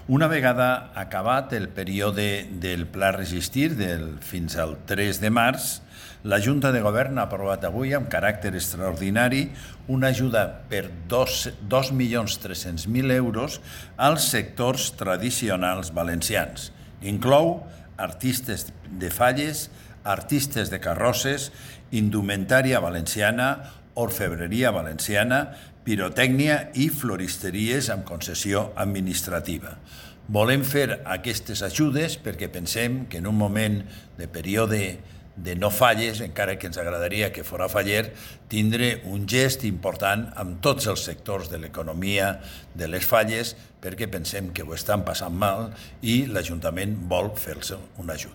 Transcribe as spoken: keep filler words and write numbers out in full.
Una vegada acabat el període del Pla Resistir del, fins al tres de març, la Junta de Govern ha aprovat avui, amb caràcter extraordinari, una ajuda per dos milions tres-cents mil euros als sectors tradicionals valencians. Inclou artistes de falles, artistes de carrosses, indumentària valenciana, orfebreria valenciana, pirotècnia i floristeries amb concessió administrativa. Volem fer aquestes ajudes perquè pensem que en un moment de període de no falles, encara que ens agradaria que fora faller, tindre un gest important amb tots els sectors de l'economia de les falles, perquè pensem que ho estan passant mal i l'Ajuntament vol fer-se una ajuda.